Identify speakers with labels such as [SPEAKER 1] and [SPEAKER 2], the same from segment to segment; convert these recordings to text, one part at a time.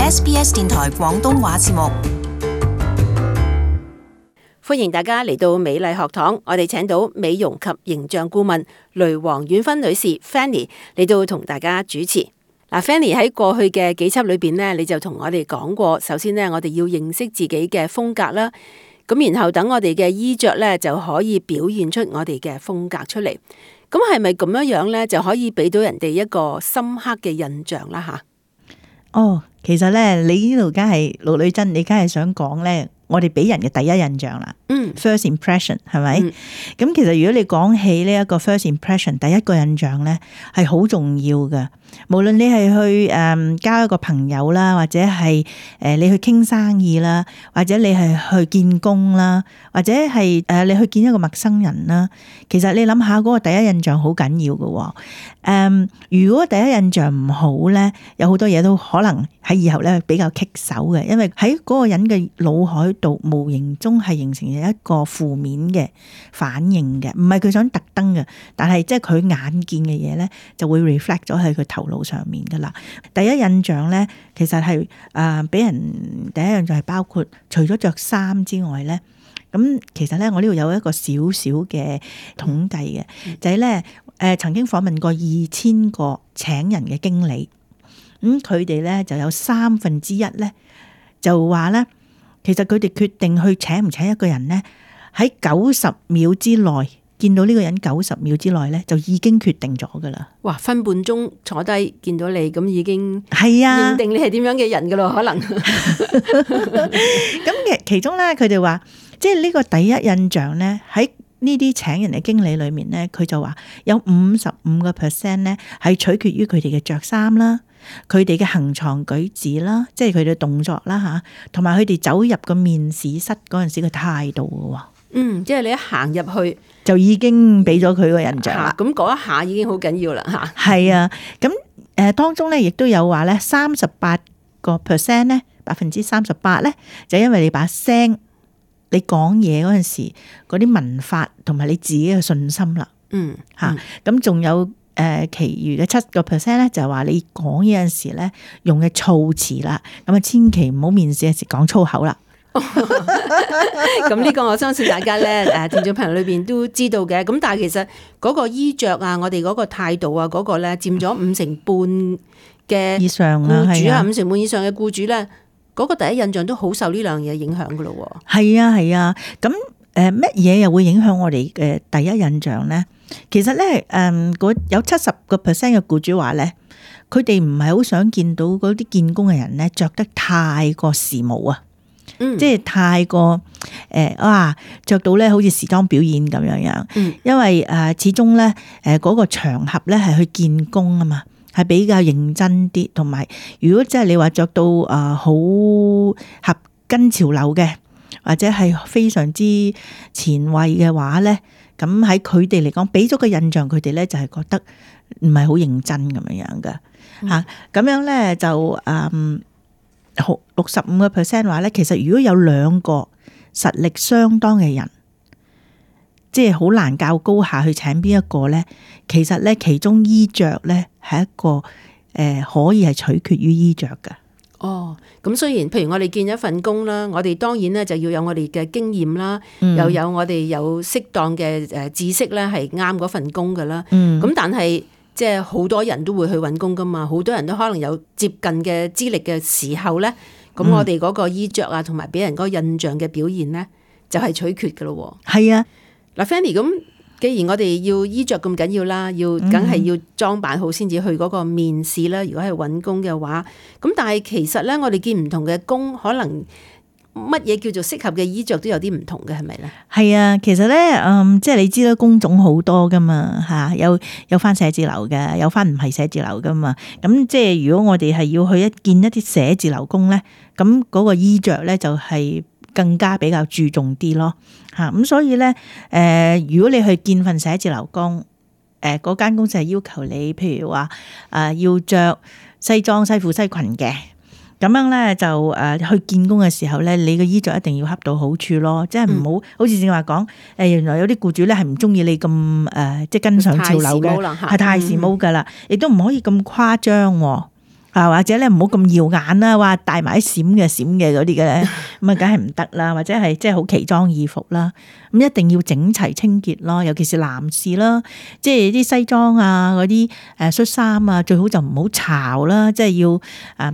[SPEAKER 1] SBS 電台廣東話節目。
[SPEAKER 2] 歡迎大家嚟到美麗學堂，我哋請到美容及形象顧問雷黃婉芬女士 Fanny 嚟到同大家主持。Fanny 喺過去嘅幾輯裏邊呢，你就同我哋講過，首先呢，我哋要認識自己嘅風格啦，咁然後等我哋嘅衣着呢，就可以表現出我哋嘅風格出嚟。咁係咪咁樣呢，就可以俾到人哋一個深刻嘅印象啦？吓，
[SPEAKER 3] 哦，其實呢，你呢度梗係陸女真，你梗係想講呢，我哋俾人嘅第一印象啦。First impression 係咪？咁其實如果你講起呢一個 first impression， 第一個印象咧係好重要嘅。無論你係去交一個朋友啦，或者係你去傾生意啦，或者你係去見工啦，或者係你去見一個陌生人啦，其實你諗下嗰個第一印象好緊要嘅。如果第一印象唔好咧，有好多嘢都可能喺以後咧比較棘手嘅，因為喺嗰個人嘅腦海度無形中係形成一個負面嘅反應嘅，唔係佢想特登嘅，但係即係佢眼見嘅嘢咧就會 reflect 咗喺佢頭腦上面噶啦。第一印象咧，其實係俾人第一印象係包括除咗着衫之外咧，咁其實咧我呢度有一個少少嘅統計嘅，就係咧曾經訪問過2000個請人嘅經理，咁佢哋咧就有1/3咧就話咧，其實佢哋決定去請唔請一個人咧，喺90秒之內見到呢個人90秒之內咧，就已經決定咗噶啦。
[SPEAKER 2] 哇，分半鐘坐低見到你，咁已經
[SPEAKER 3] 係啊，
[SPEAKER 2] 認定你係點樣嘅人噶咯，可能。
[SPEAKER 3] 咁其中咧，佢哋話，即係呢個第一印象咧，喺呢啲請人嘅經理裏面咧，佢就話有55%咧係取決於佢哋嘅着衫啦，佢哋嘅行藏舉止啦，即係佢哋嘅動作啦吓，同埋佢哋走入個面試室嗰陣時嘅態度嘅。
[SPEAKER 2] 即係你一行入去
[SPEAKER 3] 就已經俾咗佢個印象啦。
[SPEAKER 2] 咁嗰一下已經好緊要啦吓。
[SPEAKER 3] 係啊，咁當中咧亦都有話咧，38%咧，38%咧就因為你把聲，你講嘢嗰陣時嗰啲文法同埋你自己嘅信心啦。咁仲有其餘嘅7%咧就係話你講嘢嗰陣時咧用嘅措辭啦，咁啊千祈唔好面試嗰時講粗口啦。
[SPEAKER 2] 咁呢個我相信大家咧聽眾朋友裏邊都知道嘅。咁但係其實嗰個衣着啊，我哋嗰個態度啊，嗰個咧佔咗50%嘅
[SPEAKER 3] 以上
[SPEAKER 2] 僱主啊
[SPEAKER 3] ，50%
[SPEAKER 2] 以上嘅僱主咧，嗰個第一印象都好受呢兩樣嘢影響噶咯。
[SPEAKER 3] 係啊，咁乜嘢又會影響我哋嘅第一印象咧？其實咧有70%嘅僱主話咧，佢哋唔係好想見到嗰啲見工嘅人咧着得太過時髦啊。即係太過着到咧好似時裝表演咁樣，因為始終咧嗰個場合咧係去見工啊嘛，係比較認真啲，同埋如果即係你話着到好合跟潮流嘅，或者係非常之前衛嘅話咧，咁喺佢哋嚟講，俾咗個印象佢哋咧就係覺得唔係好認真咁樣噶吓，咁樣咧就65% 話咧，其實如果有2個實力相當嘅人，即係好難較高下去請邊一個咧。其實咧，其中衣着咧係一個可以係取決於衣着噶。
[SPEAKER 2] 咁雖然譬如我哋見一份工啦，我哋當然咧就要有我哋嘅經驗啦，又有我哋有適當嘅知識咧係啱嗰份工噶啦。咁但係即係好多人都會去揾工噶嘛，好多人都可能有接近嘅資歷嘅時候咧，咁我哋嗰個衣着啊，同埋俾人嗰個印象嘅表現咧，就係取決噶咯。
[SPEAKER 3] 係啊，
[SPEAKER 2] 嗱 Fanny， 咁既然我哋要衣着咁緊要啦，梗係要裝扮好先至去嗰個面試啦。如果係揾工嘅話，咁但係其實咧，我哋見唔同嘅工，可能乜嘢叫做適合嘅衣着都有啲唔同嘅，係咪咧？
[SPEAKER 3] 係啊，其實咧，即係你知啦，工種好多噶嘛，吓有翻寫字樓嘅，有翻唔係寫字樓噶嘛。咁即係如果我哋係要去見一啲寫字樓工咧，咁嗰個衣着咧就係更加比較注重啲咯，吓咁所以咧，如果你去見份寫字樓工，嗰間公司係要求你，譬如話要着西裝西褲西裙嘅。咁樣咧就去見工嘅時候咧，你嘅衣着一定要恰到好處咯，即係唔好好似正話講原來有啲僱主咧係唔中意你咁即係跟上潮流嘅，係太時髦噶啦，亦都唔可以咁誇張喎。或者咧唔好咁耀眼啦，話戴埋啲閃嘅嗰啲嘅咧，咁啊梗係唔得啦，或者係即係好奇裝異服啦，咁一定要整齊清潔咯，尤其是男士啦，即係啲西裝啊嗰啲恤衫啊，最好就唔好巢啦，即係要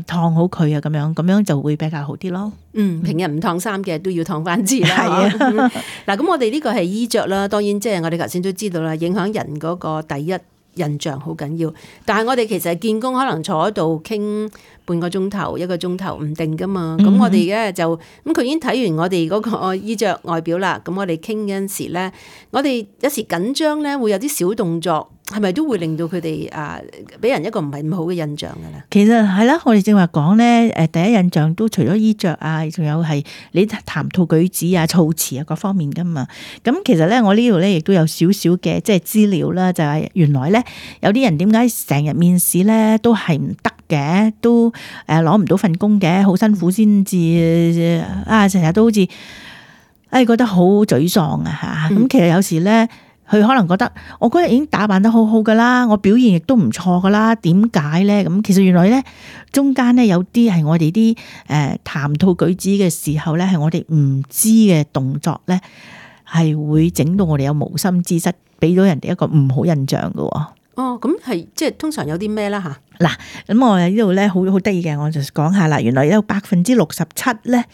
[SPEAKER 3] 燙好佢啊，咁樣就會比較好啲咯。
[SPEAKER 2] 平日唔燙衫嘅都要燙翻次啦。
[SPEAKER 3] 係啊，
[SPEAKER 2] 嗱，咁我哋呢個係衣着啦，當然即係我哋頭先都知道啦，影響人嗰個第一印象好緊要。但係我哋其實見工可能坐喺度傾半個鐘頭、1個鐘頭唔定噶嘛。咁我哋咧就咁佢已經睇完我哋嗰個衣着外表啦。咁我哋傾嗰陣時咧，我哋有時緊張咧會有啲小動作。係咪都會令到佢哋俾人一個唔係咁好嘅印象㗎啦？
[SPEAKER 3] 其實係啦，我哋正話講咧，第一印象都除咗衣着啊，仲有係你談吐舉止啊、措辭啊各方面㗎嘛。咁其實咧，我呢度咧亦都有少少嘅即係資料啦，就係原來咧有啲人點解成日面試咧都係唔得嘅，都攞唔到份工嘅，好辛苦先至成日都好似覺得好沮喪啊嚇。咁其實有時咧。佢可能覺得我嗰日已經打扮得好好噶啦，我表現亦都唔錯噶啦，點解咧？咁其實原來咧中間咧有啲係我哋啲談吐舉止嘅時候咧，係我哋唔知嘅動作咧，係會整到我哋有無心之失，俾到人哋一個唔好印象噶。
[SPEAKER 2] 哦，咁係即係通常有啲咩啦吓？
[SPEAKER 3] 嗱，咁我喺呢度咧好得意嘅，我就講下啦。原來有67%咧。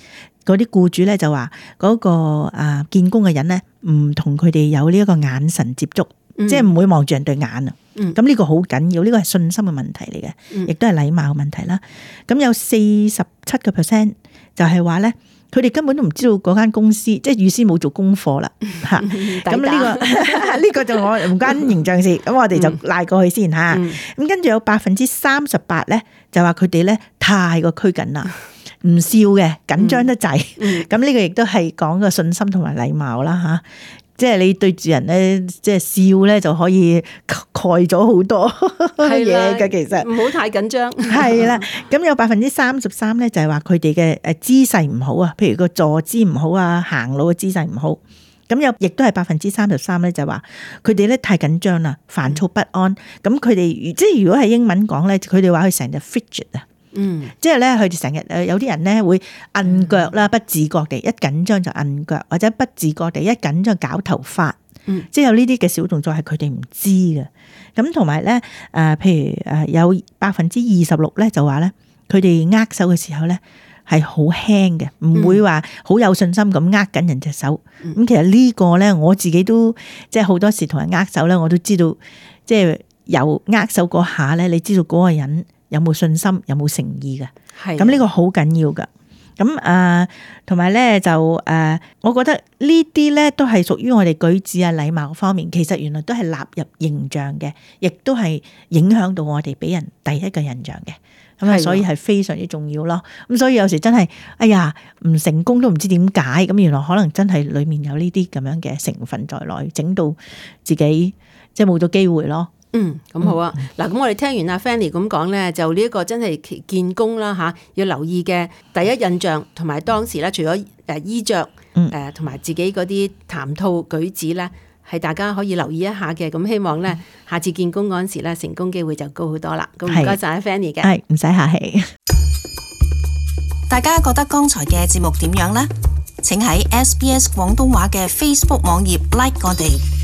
[SPEAKER 3] 嗰啲僱主咧就話嗰個見工嘅人咧唔同佢哋有呢一個眼神接觸，即係唔會望住人對眼啊。咁呢個好緊要，呢個係信心嘅問題嚟嘅，亦都係禮貌嘅問題啦。咁有47%就係話咧，佢哋根本都唔知道嗰間公司，即係預先冇做功課啦嚇。咁呢個就我唔關形象事，咁我哋就賴過去先嚇。咁跟住有38%咧就話佢哋咧太過拘謹啦。唔笑嘅，緊張得滯，咁呢個亦都係講個信心同埋禮貌啦吓，即係你對住人咧，即係笑咧就可以蓋咗好多嘢嘅，其實唔好太緊張。係啦，咁有33%咧就係話佢哋嘅姿勢唔好啊，譬如個坐姿唔好啊，行路嘅姿勢唔好。咁有亦都係33%咧就話佢哋咧太緊張啦，煩躁不安。咁佢哋即係如果係英文講咧，佢哋話佢成日 fidget 啊。即係咧，佢哋成日有啲人咧會摁腳啦，不自覺地一緊張就摁腳，或者不自覺地一緊張搞頭髮，即係有呢啲嘅小動作係佢哋唔知嘅。咁同埋咧，譬如有26%咧就話咧，佢哋握手嘅時候咧係好輕嘅，唔會話好有信心咁握緊人隻手。咁其實呢個咧，我自己都即係好多時同人握手咧，我都知道，即係有握手嗰下咧，你知道嗰個人有冇信心，有冇誠意嘅？係咁呢個好緊要噶。咁同埋咧就我覺得呢啲咧都係屬於我哋舉止啊、禮貌方面，其實原來都係納入形象嘅，亦都係影響到我哋俾人第一個印象嘅。咁啊，所以係非常之重要咯。咁所以有時真係，哎呀，唔成功都唔知點解。咁原來可能真係裡面有呢啲咁樣嘅成分在內，整到自己即係冇咗機會咯。
[SPEAKER 2] 咁好啊。嗱，咁我哋聽完阿 Fanny 咁講咧，就呢一個真係見工啦吓，要留意嘅第一印象，同埋當時咧，除咗衣着同埋自己嗰啲談吐舉止咧，係大家可以留意一下嘅。咁希望咧，下次見工嗰陣時咧，成功機會就高好多啦。咁唔該晒阿 Fanny 嘅，
[SPEAKER 3] 係唔使客氣。
[SPEAKER 1] 大家覺得剛才嘅節目點樣呢？請喺SBS 廣東話嘅 Facebook 網頁 like 我哋。